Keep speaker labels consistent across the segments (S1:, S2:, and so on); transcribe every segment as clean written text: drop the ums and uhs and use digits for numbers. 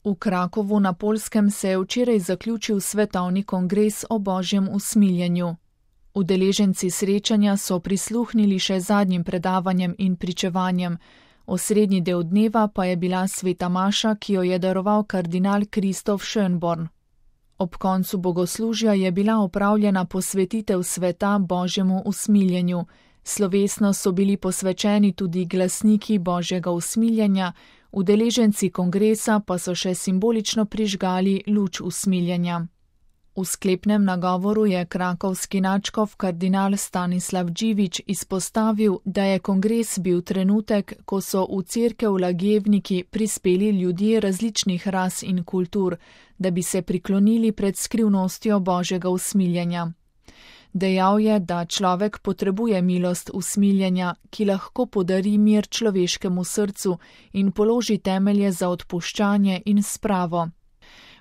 S1: V Krakovu na Poljskem se je včeraj zaključil svetovni kongres o božjem usmiljenju. Udeleženci srečanja so prisluhnili še zadnjim predavanjem in pričevanjem. Osrednji del dneva pa je bila sveta maša, ki jo je daroval kardinal Kristof Schönborn. Ob koncu bogoslužja je bila opravljena posvetitev sveta božjemu usmiljenju. Slovesno so bili posvečeni tudi glasniki božjega usmiljenja, udeleženci kongresa pa so še simbolično prižgali luč usmiljenja. V sklepnem nagovoru je krakovski nadškof kardinal Stanislav Dživič izpostavil, da je kongres bil trenutek, ko so v cerkev Lagevniki prispeli ljudje različnih ras in kultur, da bi se priklonili pred skrivnostjo božjega usmiljenja. Dejal je, da človek potrebuje milost usmiljenja, ki lahko podari mir človeškemu srcu in položi temelje za odpuščanje in spravo.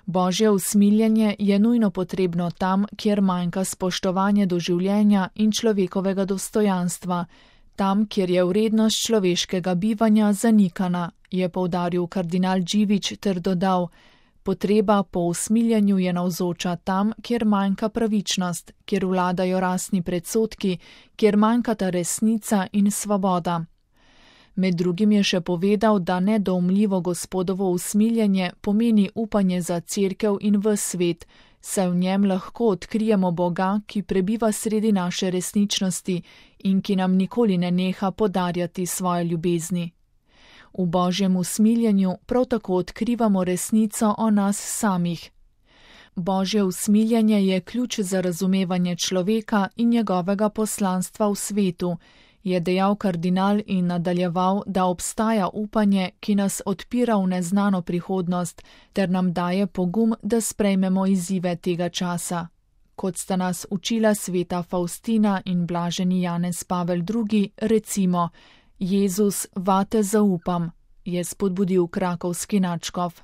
S1: Božje usmiljenje je nujno potrebno tam, kjer manjka spoštovanje do življenja in človekovega dostojanstva, tam, kjer je vrednost človeškega bivanja zanikana, je poudaril kardinal Dživič ter dodal: potreba po usmiljenju je navzoča tam, kjer manjka pravičnost, kjer vladajo rasni predsodki, kjer manjkata resnica in svoboda. Med drugim je še povedal, da nedoumljivo Gospodovo usmiljenje pomeni upanje za cerkev in ves svet, saj v njem lahko odkrijemo Boga, ki prebiva sredi naše resničnosti in ki nam nikoli ne neha podarjati svoje ljubezni. V božjem usmiljenju prav tako odkrivamo resnico o nas samih. Božje usmiljenje je ključ za razumevanje človeka in njegovega poslanstva v svetu, je dejal kardinal in nadaljeval, da obstaja upanje, ki nas odpira v neznano prihodnost, ter nam daje pogum, da sprejmemo izzive tega časa. Kot sta nas učila sveta Faustina in blaženi Janez Pavel II, recimo: Jezus, vate zaupam, je spodbudil krakovski nadškof.